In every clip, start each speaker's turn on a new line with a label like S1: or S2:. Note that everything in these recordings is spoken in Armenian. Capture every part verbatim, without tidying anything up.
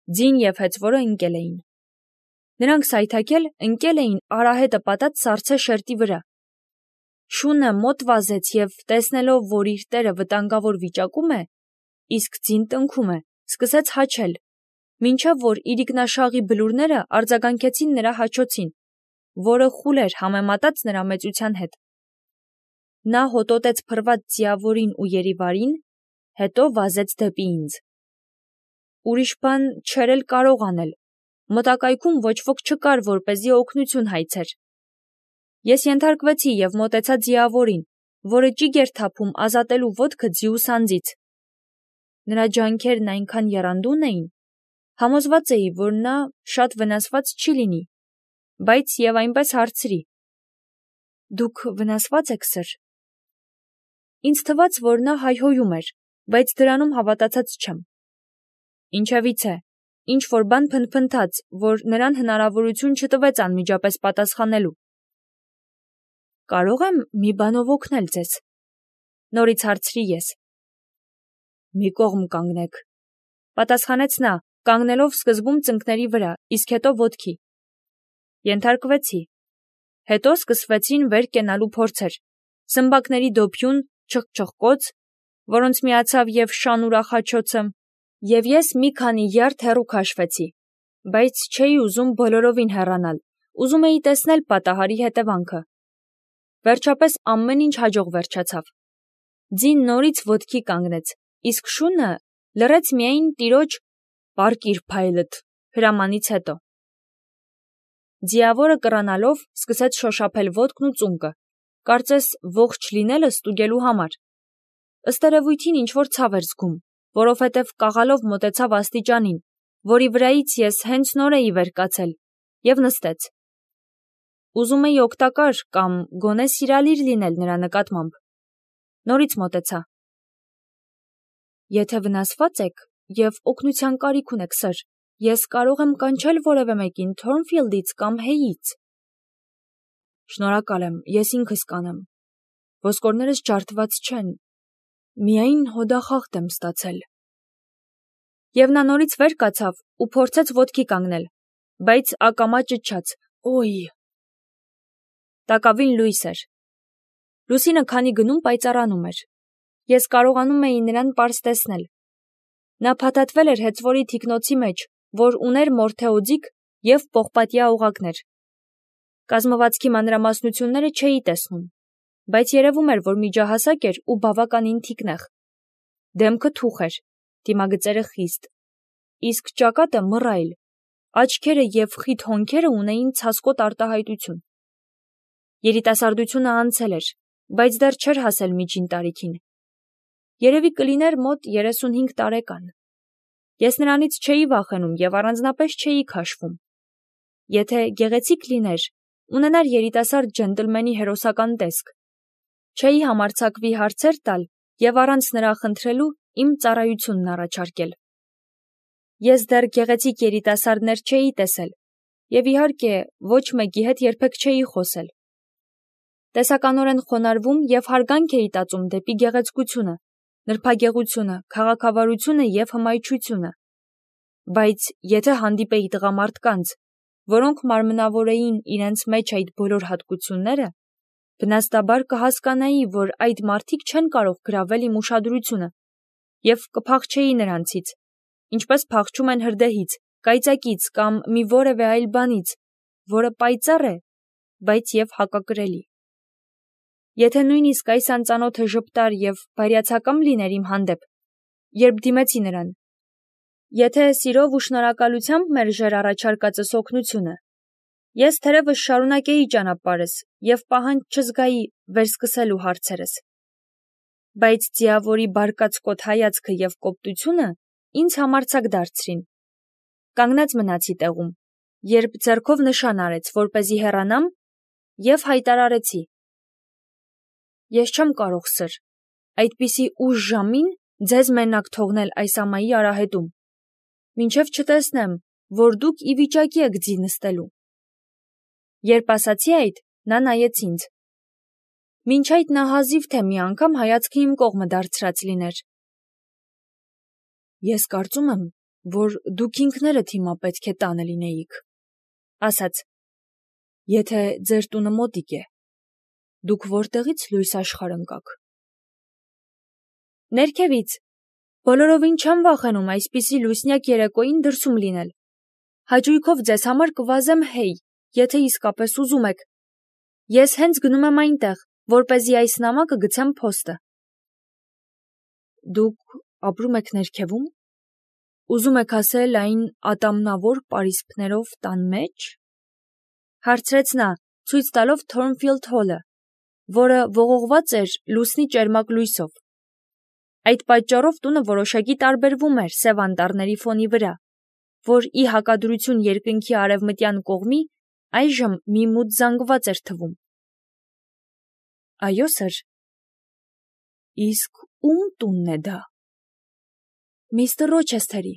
S1: Ձին և հեծվորը ընկել էին։ Նրանք սայթաքել ընկել էին արահետը պատած սառցե շերտի վրա։ Շունը մոտ վազեց և տեսնելով, որ իր տերը վտանգավոր վիճակում է, իսկ ձին տնքում է, սկսեց հաչել, մինչև որ իրիկնաշաղի բլուրները արձագանքեցին նրա հաչոցին, որը խուլ էր համեմատած նրա մեծության հետ։ Նա հոտոտեց փռված ձիավորին ու երիվարին, հետո վազեց դեպի ինձ։ Ուրիշ բան չէր էլ կարող անել, մոտակայքում ոչ ոք չկար, որպեսզի օգնություն հայցեր։ Ես ենթարկվեցի և մոտեցա ձիավորին, որը ճիգ էր թափում ազատելու ոտքը ձիու սանձից։ Նրա ջանքերն այնքան եռանդուն էին, համոզված էի, որ նա շատ վնասված չի լինի, բայց և այնպես հարցրի. «Դուք վնասվա՞ծ եք, սըր»։ Ինձ թվաց, որ նա հայհոյում էր, բայց դրանում հավատացած չեմ։ Ինչևիցե, ինչ-որ բան փնթփնթաց, որ նրան հնարավորություն չտվեց անմիջապես պատասխանելու։ «Կարո՞ղ եմ մի բանով օգնել ձեզ»։ Նորից հարցրի ես։ «Մի կողմ կանգնեք», պատասխանեց նա, կանգնելով սկզբում ծնկների վրա, իսկ հետո ոտքի։ Ենթարկվեցի։ Հետո սկսվեցին վեր կենալու փորձեր, սմբակների դոփյուն, չխչխկոց, որոնց միացավ և շան ուրախ-հաչոցը, և ես մի քանի յարդ հեռու քաշվեցի, բայց չէի ուզում բոլորովին հեռանալ, ուզում էի տեսնել պատահարի հետևանքը։ Վերջապես ամեն ինչ հաջող վերջացավ։ Ձին նորից ոտքի կանգնեց, իսկ շունը լռեց միայն տիրոջ «Պառկիր, փայլդ» հրամանից հետո։ Ձիավորը կռանալով սկսեց շոշափել ոտքն ու ծունկը, կարծես ողջ լինելը ստուգելու համար։ Ըստ երևույթին ինչ-որ ցավ էր զգում, որովհետև կաղալով մոտեցավ աստիճանին, որի վրայից ես հենց նոր էի վեր կացել, և նստեց։ Ուզում էի օգտակար կամ գոնե սիրալիր լինել նրա նկատմամբ։ Նորից մոտեցա։ «Եթե վնասված եք և օգնության կարիք ունեք, սըր, ես կարող եմ կանչել որևէ մեկին Թորնֆիլդից կամ Հեյից»։ «Շնորհակալ եմ, ես ինքս կանեմ։ Ոսկորներս ջարդված չեն, միայն հոդախախտ եմ ստացել»։ Եվ նա նորից վեր կացավ ու փորձեց ոտքի կանգնել, բայց ակամա ճչաց. «Օյ»։ Տակավին լույս էր։ Լուսինը քանի գնում պայծառանում էր։ Ես կարողանում էի նրան պարզ տեսնել։ Նա փաթաթվել էր հեծվորի թիկնոցի մեջ, որ ուներ մորթե և պողպատյա օղակներ։ Կազմվածքի մանրամասնությունները չէի տեսնում, բայց երևում էր, որ միջահասակ էր ու բավականին թիկնեղ։ Դեմքը թուխ էր, դիմագծերը խիստ, իսկ ճակատը մռայլ, աչքերը և խիտ հոնքերը ունեին ցասկոտ արտահայտություն։ Երիտասարդությունը անցել էր, բայց դեռ չէր հասել միջին տարիքին։ Երևի կլիներ մոտ երեսունհինգ տարեկան։ Ես նրանից չէի վախենում և առանձնապես չէի քաշվում։ Եթե գեղեցիկ լիներ, ունենար երիտասարդ ջենտլմենի հերոսական տեսք, չէի համարձակվի հարցեր տալ և առանց նրա խնդրելու իմ ծառայությունն առաջարկել։ Ես դեռ գեղեցիկ երիտասարդներ չէի տեսել և, իհարկե, ոչ մեկի հետ երբեք չէի խոսել։ Տեսականորեն խոնարհվում և հարգանք էի տածում դեպի գեղեցկությունը, նրբագեղությունը, քաղաքավարությունը և հմայչությունը։ Բայց եթե հանդիպեի տղամարդկանց, որոնք մարմնավորեին իրենց մեջ այդ բոլոր հատկությունները, բնաստաբար կհասկանայի, որ այդ մարդիկ չեն կարող գրավել իմ ուշադրությունը և կփախչեի նրանցից, ինչպես փախչում են հրդեհից, կայծակից կամ մի որևէ այլ բանից, որը պայծառ է, բայց և հակակրելի։ Եթե նույնիսկ այս անծանոթը ժպտար և բարյացակամ լիներ իմ հանդեպ, երբ դիմեցի նրան, եթե սիրով ու շնորհակալությամբ մերժեր առաջարկածս օգնությունը, ես թերևս շարունակեի ճանապարհս և պահանջ չզգայի վերսկսելու հարցերս։ Բայց ձիավորի բարկացկոտ հայացքը և կոպտությունը ինձ համարձակ դարձրին։ Կանգնած մնացի տեղում, երբ ձեռքով նշան արեց, որպեսզի հեռանամ, և հայտարարեցի. «Ես չեմ կարող, սըր, այդպիսի ուշ ժամին ձեզ մենակ թողնել այս ամայի արահետում, մինչև չտեսնեմ, որ դուք ի վիճակի եք ձի նստելու»։ Երբ ասացի այդ, նա նայեց ինձ։ Մինչ այդ նա հազիվ թե մի անգամ հայացքը իմ կողմը դարձրած լիներ։ «Ես կարծում եմ, որ դուք ինքներդ հիմա պետք է տանը լինեիք, ասաց. Եթե ձեր տունը մոտիկ է, դուք որտեղից լույս աշխարհ ընկաք։ Ներքևից, բոլորովին չեմ վախենում այսպիսի լուսնյակ երեկոյին դրսում լինել։ Հաճույքով ձեզ համար կվազեմ հեյ, եթե իսկապես ուզում եք։ Ես հենց գնում եմ այնտեղ, որպեսզի այս նամակը գցեմ փոստը։ Դուք ապրում եք ներքևում։ Ուզում եք ասել այն ատամնավոր պարիսպներով տան մեջ։ Հարցրեց նա, ցույց տալով Թորնֆիլդ Հոլը, որը ողողված էր լուսնի ճերմակ լույսով։ Այդ պատճառով տունը որոշակի տարբերվում էր սև անտառների ֆոնի վրա, որ ի հակադրություն երկնքի արևմտյան կողմի այժմ մի մութ զանգված էր թվում։ Այո, սըր։ Իսկ ում տունն է դա։ Միստր Ռոչեսթերի։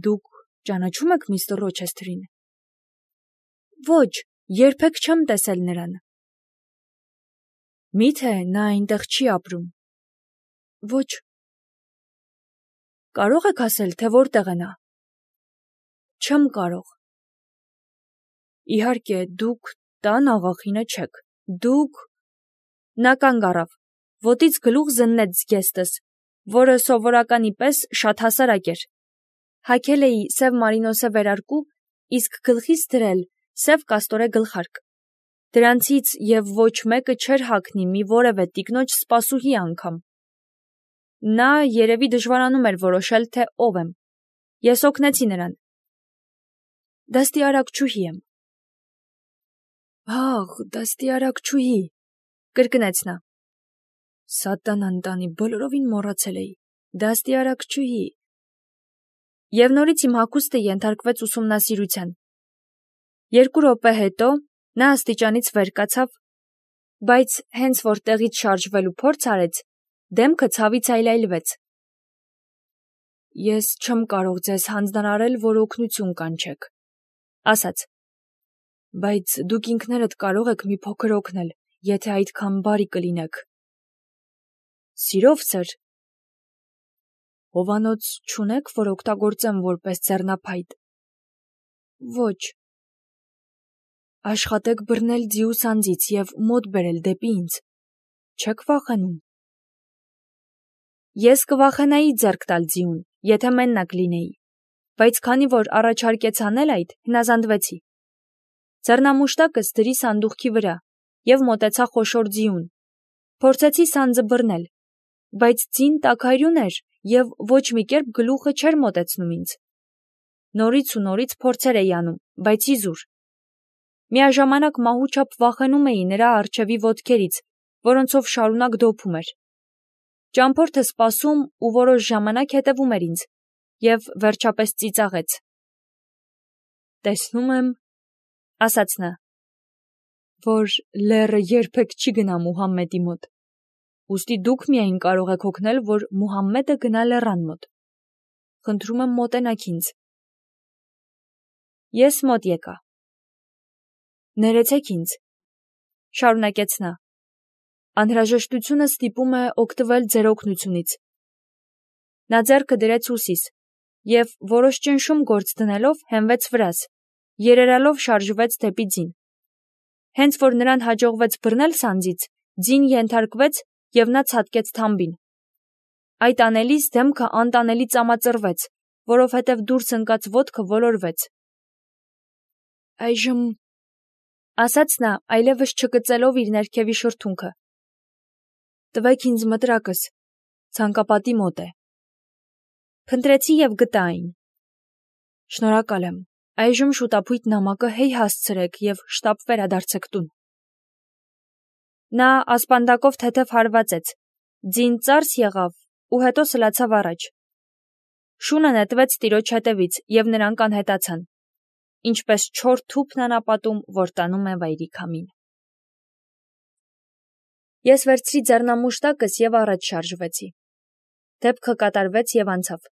S1: Դուք ճանաչում եք միստր Ռոչեսթերին։ Ոչ, երբեք չեմ տեսել նրան։ Միթե նա այնտեղ չի ապրում։ Ոչ։ Կարող եք ասել, թե որտեղ է նա։ Չեմ կարող։ Իհարկե, դուք տան աղախինը չեք։ Դուք… Նա կանգ առավ, ոտից գլուխ զննեց զգեստս, որը սովորականի պես շատ հասարակ էր։ Հագել էի սև մարինոսե վերարկու, իսկ գլխիս դրել սև կաստորե գլխարկ։ Դրանցից և ոչ մեկը չէր հագնի մի որևէ տիկնոջ սպասուհի անգամ։ Նա երևի դժվարանում էր որոշել, թե ով եմ։ Ես օգնեցի նրան։ Դաստիարակչուհի եմ։ Ահ, դաստիարակչուհի, կրկնեց նա։ Սատանան տանի, բոլորովին մոռացել էի։ Դաստիարակչուհի։ Եվ նորից իմ հագուստը ենթարկվեց ուսումնասիրության։ Երկու րոպե հետո նա աստիճանից վեր կացավ, բայց հենց որ տեղից շարժվելու փորձ արեց, դեմքը ցավից այլայլվեց։ Ես չեմ կարող ձեզ հանձնարարել, որ օգնություն կանչեք, ասաց, բայց դուք ինքներդ կարող եք մի փոքր օգնել, եթե այդքան բարի կլինեք։ Սիրով, սըր։ Հովանոց չունեք, որ օգտագործեմ որպես ձեռնափայտ։ Ոչ։ Աշխատեք բռնել ձիուս անձից և մոտ բերել դեպի ինձ։ Չեք վախենում։ Ես կվախենայի ձեռք տալ ձիուն, եթե մենակ լինեի, բայց քանի որ առաջարկեց անել այդ, հնազանդվեցի։ Ձեռնամուշտակս դրի սանդուղքի վրա և մոտեցա խոշոր ձիուն։ Փորձեցի սանձը բռնել, բայց ձին տաքարյուն էր և ոչ մի կերպ գլուխը չէր մոտեցնում ինձ։ Նորից ու նորից փորձեր էի անում, բայց իզուր։ Միաժամանակ մահուչափ վախենում էի նրա առջևի ոտքերից, որոնցով շարունակ դոփում էր։ Ճամփորդը սպասում ու որոշ ժամանակ հետևում էր ինձ և վերջապես ծիծաղեց։ Տեսնում եմ, ասաց նա, որ լեռը երբեք չի գնա Մուհամմեդի մոտ։ Ուստի դուք միայն կարող եք օգնել, որ Մուհամմեդը գնա լեռան մոտ։ Խնդրում եմ մոտենաք ինձ։ Ես մոտ եկա։ Ներեցեք ինձ, շարունակեց նա։ Անհրաժեշտությունը ստիպում է օգտվել ձեր օգնությունից։ Նա ձեռքը դրեց ուսիս և որոշ ճնշում գործ դնելով հենվեց վրաս, երերալով շարժվեց դեպի ձին։ Հենց որ նրան հաջողվեց բռնել սանձից, ձին ենթարկվեց և նա ցատկեց թամբին։ Այդ անելիս դեմքը անտանելի ծամածրվեց, որովհետև դուրս ընկած ոտքը ոլորվեց։ Այժմ, ասաց նա, այլևս չկծելով իր ներքևի շրթունքը, տվեք ինձ մտրակս, ցանկապատի մոտ է։ Փնտրեցի և գտա այն։ Շնորհակալ եմ, այժմ շուտափույթ նամակը հեյ հասցրեք և շտապ վերադարձեք տուն։ Նա ասպանդակով թեթև հարվածեց, ձին ծարս եղավ ու հետո սլացավ առաջ։ Շունը նետվեց տիրոջ հետևից և նրանք անհետացան, ինչպես չոր թուփն անապատում, որ տանում է վայրի քամին։ Ես վերցրի ձեռնամուշտակս և առաջ շարժվեցի։ Դեպքը կատարվեց և անցավ։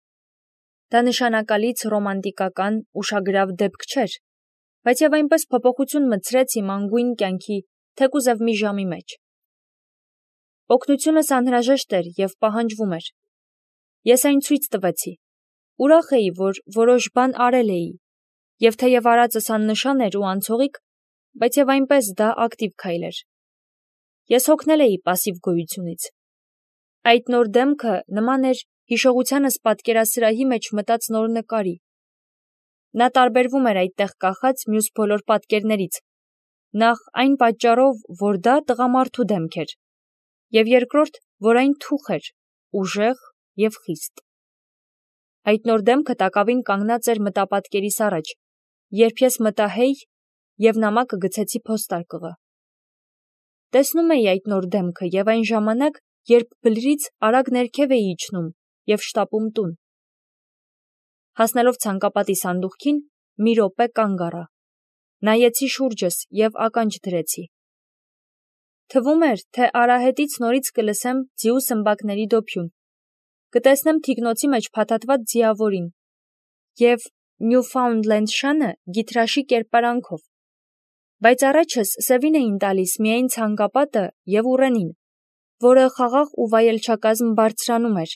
S1: Դա նշանակալից ռոմանտիկական, ուշագրավ դեպք չէր, բայց և այնպես փոփոխություն մտցրեց իմ անգույն կյանքի թեկուզև մի ժամի մեջ։ Օգնությունս անհրաժեշտ էր և պահանջվում էր։ Ես այն ցույց տվեցի, Ուրախ էի, որ որոշ բան արել էի, և թեև արածս աննշան էր ու անցողիկ, բայց և այնպես դա ակտիվ քայլ էր։ Ես հոգնել էի պասիվ գոյությունից։ Այդ նոր դեմքը նման էր հիշողությանս պատկերասրահի մեջ մտած նոր նկարի։ Նա տարբերվում էր այդտեղ կախած մյուս բոլոր պատկերներից, նախ այն պատճառով, որ դա տղամարդու դեմք էր, և երկրորդ, որ այն թուխ էր, ուժեղ և խիստ։ Այդ նոր դեմքը տակավին կանգնած էր մտապատկերիս առաջ, երբ ես մտա «Հեյ» և նամակը գցեցի փոստարկղը։ Տեսնում էի այդ նոր դեմքը և այն ժամանակ, երբ բլրից արագ ներքև էի իջնում և շտապում տուն։ Հասնելով ցանկապատի սանդուղքին, մի րոպե կանգ առա։ Նայեցի շուրջս և ականջ դրեցի։ Թվում էր, թե արահետից նորից կլսեմ ձիու սմբակների դոփյուն, կտեսնեմ թիկնոցի մեջ փաթաթված ձիավորին և Նյուֆաունդլենդ շանը գիթրաշի կերպարանքով, բայց առաջս սևին էին տալիս միայն ցանկապատը և ուռենին, որը խաղաղ ու վայելչակազմ բարձրանում էր,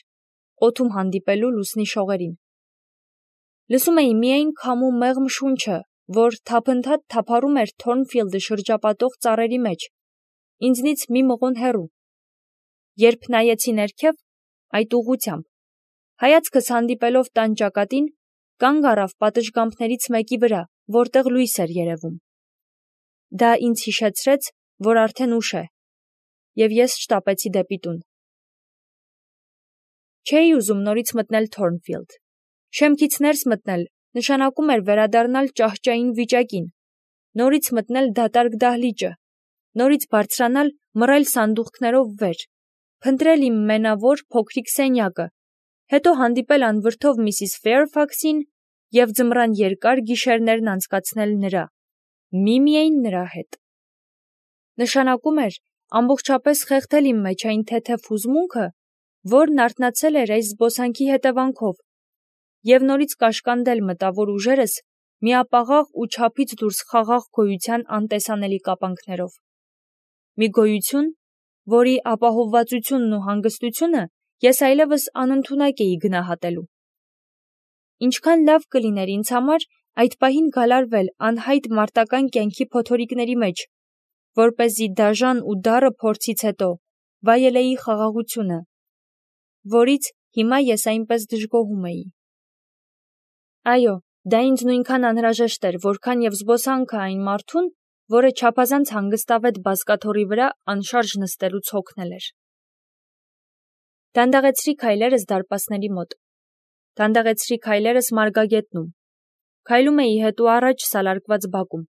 S1: օդում հանդիպելու լուսնի շողերին։ Լսում էի միայն քամու մեղմ շունչը, որ թափընթաց թափառում էր Թորնֆիլդը շրջապատող ծառերի մեջ, ինձնից մի մղոն հեռու։ Երբ նայեցի ներքև, այդ ուղղությամբ, հայացքս հանդիպելով տան ճակատին, կանգ առավ պատշգամբներից մեկի վրա, որտեղ լույս էր երևում։ Դա ինձ հիշեցրեց, որ արդեն ուշ է, և ես շտապեցի դեպի տուն։ Չէի ուզում նորից մտնել Թորնֆիլդ։ Շեմքից ներս մտնել նշանակում էր վերադառնալ ճահճային վիճակին, նորից մտնել դատարկ դահլիճը, նորից բարձրանալ մռայլ սանդուղքներով վեր, փնտրել իմ մենավոր փոքրիկ սենյակը, հետո հանդիպել անվրդով միսիս Ֆեյրֆաքսին և ձմռան երկար գիշերներն անցկացնել նրա, միմիայն նրա հետ։ Նշանակում էր ամբողջապես խեղդել իմ մեջ այն թեթև հուզմունքը, որն արթնացել էր այս զբոսանքի հետևանքով, և նորից կաշկանդել մտավոր ուժերս միապաղաղ ու չափից դուրս խաղաղ գոյության անտեսանելի կապանքներով։ Մի գոյություն, որի ապահովվածությունն ու հանգստությունը ես այլևս անընդունակ էի գնահատելու։ Ինչքան լավ կլիներ ինձ համար այդ պահին գալարվել անհայտ մարտական կյանքի փոթորիկների մեջ, որպեսզի դաժան ու դառը փորձից հետո վայելեի խաղաղությունը, որից հիմա ես այնպես դժգոհում էի։ Այո, դա ինձ նույնքան անհրաժեշտ էր, որքան և զբոսանքը այն մարդուն, որը չափազանց հանգստավետ բազկաթոռի վրա անշարժ նստելուց հոգնել էր։ Դանդաղեցրի քայլերս դարպասների մոտ, դանդաղեցրի քայլերս մարգագետնում, քայլում էի հետ ու առաջ սալարկված բակում։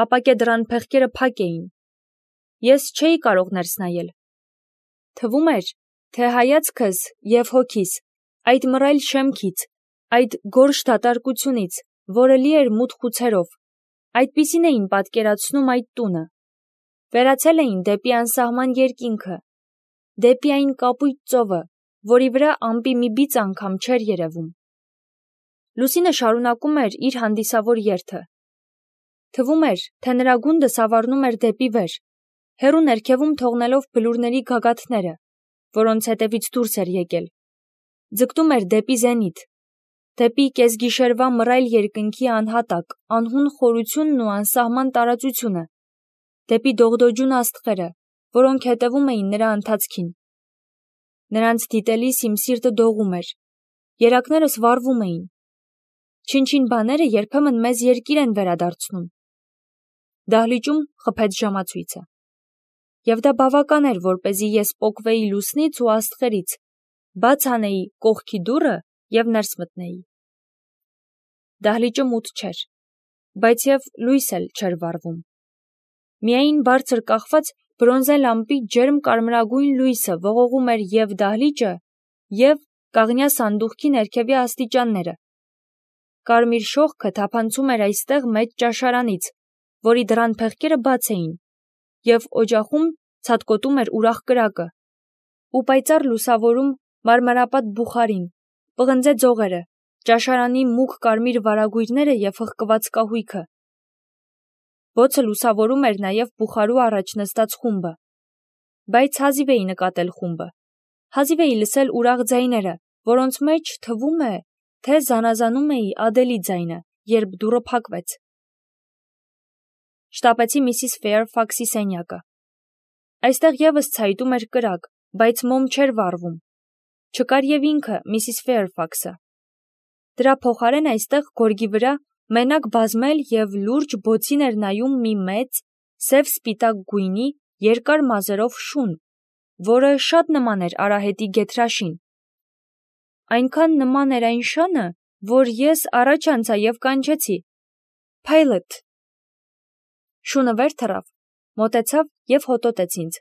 S1: Ապակե դռան փեղկերը փակ էին։ Ես չէի կարող ներս նայել։ Թվում էր, թե հայացքս և հոգիս այդ մռայլ շեմքից, այդ գորշ դատարկությունից, որը լի էր մութ խուցերով, այդպիսին էին պատկերացնում այդ տունը, վերացել էին դեպի անսահման երկինքը, դեպի այն կապույտ ծովը, որի վրա ամպի մի բիծ անգամ չէր երևում։ Լուսինը շարունակում էր իր հանդիսավոր երթը։ Թվում էր, թե նրա գունդը սավառնում էր դեպի վեր, հեռու ներքևում թողնելով բլուրների գագաթները, որոնց հետևից դուրս էր եկել, ձգտում էր դեպի զենիթ, դեպի կեսգիշերվա մռայլ երկնքի անհատակ, անհուն խորությունն ու անսահման տարածությունը, դեպի դողդոջուն աստղերը, որոնք հետևում էին նրա ընթացքին։ Նրանց դիտելիս իմ սիրտը դողում էր, երակներս վառվում էին։ Չնչին բաները երբեմն մեզ երկիր են վերադարձնում։ Դահլիճում խփեց ժամացույցը։ Եվ դա բավական էր, որպեսզի ես պոկվեի լուսնից ու աստղերից, բաց անեի կողքի դուռը և ներս մտնեի։ Դահլիճը մութ չէր, բայց և լույս էլ չէր վառվում։ Միայն բարձր կախված բրոնզե լամպի ջերմ կարմրագույն լույսը ողողում էր և դահլիճը, և կաղնյա սանդուղքի ներքևի աստիճանները։ Կարմիր շողքը թափանցում էր այստեղ մեծ ճաշարանից, որի դռան փեղկերը բաց էին, և օջախում ցատկոտում էր ուրախ կրակը, ու պայծառ լուսավորում մարմարապատ բուխարին, պղնձե ձողերը, ճաշարանի մուգ կարմիր վարագույրները և հղկված կահույքը։ Բոցը լուսավորում էր նաև բուխարու առաջ նստած խումբը, բայց հազիվ էի նկատել խումբը, հազիվ էի լսել ուրախ ձայները, որոնց մեջ, թվում է, թե զանազանում էի Ադելի ձայնը, երբ դուռը փակվեց։ Շտապեցի միսիս Ֆեյրֆաքսի սենյակը։ Այստեղ եւս ցայտում էր կրակ, բայց մոմ չէր վառվում։ Չկար եւ ինքը միսիս Ֆեյրֆաքսը։ Դրա փոխարեն այստեղ գորգի վրա մենակ բազմել եւ լուրջ բոցին էր նայում մի մեծ, սև-սպիտակ գույնի, երկար մազերով շուն, որը շատ նման էր արահետի գեթրաշին։ Այնքան նման էր այն շանը, որ ես առաջ անցա եւ կանչեցի. «Pilot»։ Շունը վեր թռավ, մոտեցավ եւ հոտոտեց ինձ։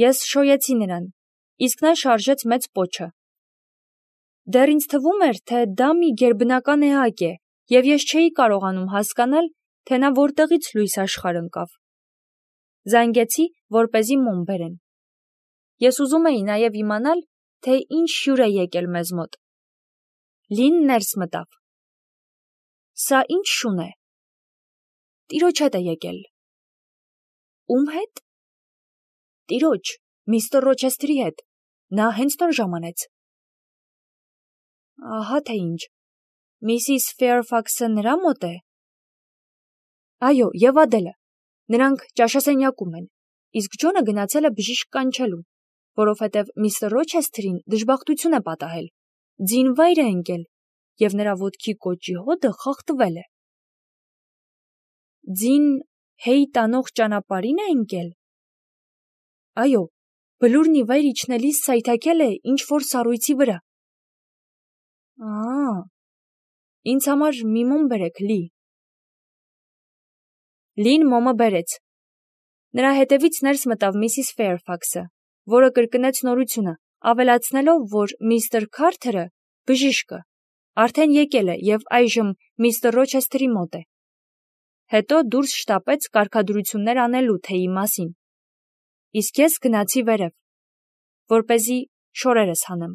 S1: Ես շոյեցի նրան, իսկ նա շարժեց մեծ պոչը։ Դեռ ինձ թվում էր, թե դա մի գերբնական էակ է, եւ ես չէի կարողանում հասկանալ, թե նա որտեղից լույս աշխարհ ընկավ։ Զանգեցի, որպեսզի մոմ բերեն։ Ես ուզում էի նաեւ իմանալ, թե ինչ հյուր է եկել մեզ մոտ։ Լին ներս մտավ։ Սա ինչ շուն է։ Տիրոջ հետ է եկել։ Ում հետ։ Տիրոջ, միստր Ռոչեսթերի հետ։ Նա հենց նոր ժամանեց։ Ահա թե ինչ։ Միսիս Ֆեյրֆաքսը նրա մոտ է։ Այո, եւ Ադելը։ Նրանք ճաշասենյակում են, իսկ Ջոնը գնացել է բժիշկ կանչելու, որովհետև միստր Ռոչեսթերին դժբախտություն է պատահել, ձին վայր է ընկել, եւ նրա ոտքի կոճի հոդը խախտվել է։ Ձին հեյ տանող ճանապարհին է ընկել։ Այո, բլուրն ի վայր իջնելիս սայթաքել է ինչ-որ սառույցի վրա։ Ահա, ինձ համար մի մոմ բերեք, Լի։ Լին մոմը բերեց։ Նրա հետևից ներս մտավ միսիս Ֆեյրֆաքսը, որը կրկնեց նորությունը, ավելացնելով, որ միստր Քարթերը, բժիշկը, արդեն եկել է եւ այժմ միստր Ռոչեսթերի մոտ է։ Հետո դուրս շտապեց կարգադրություններ անելու թեյի մասին։ Իսկ ես գնացի վերև, որպեսզի շորերս հանեմ։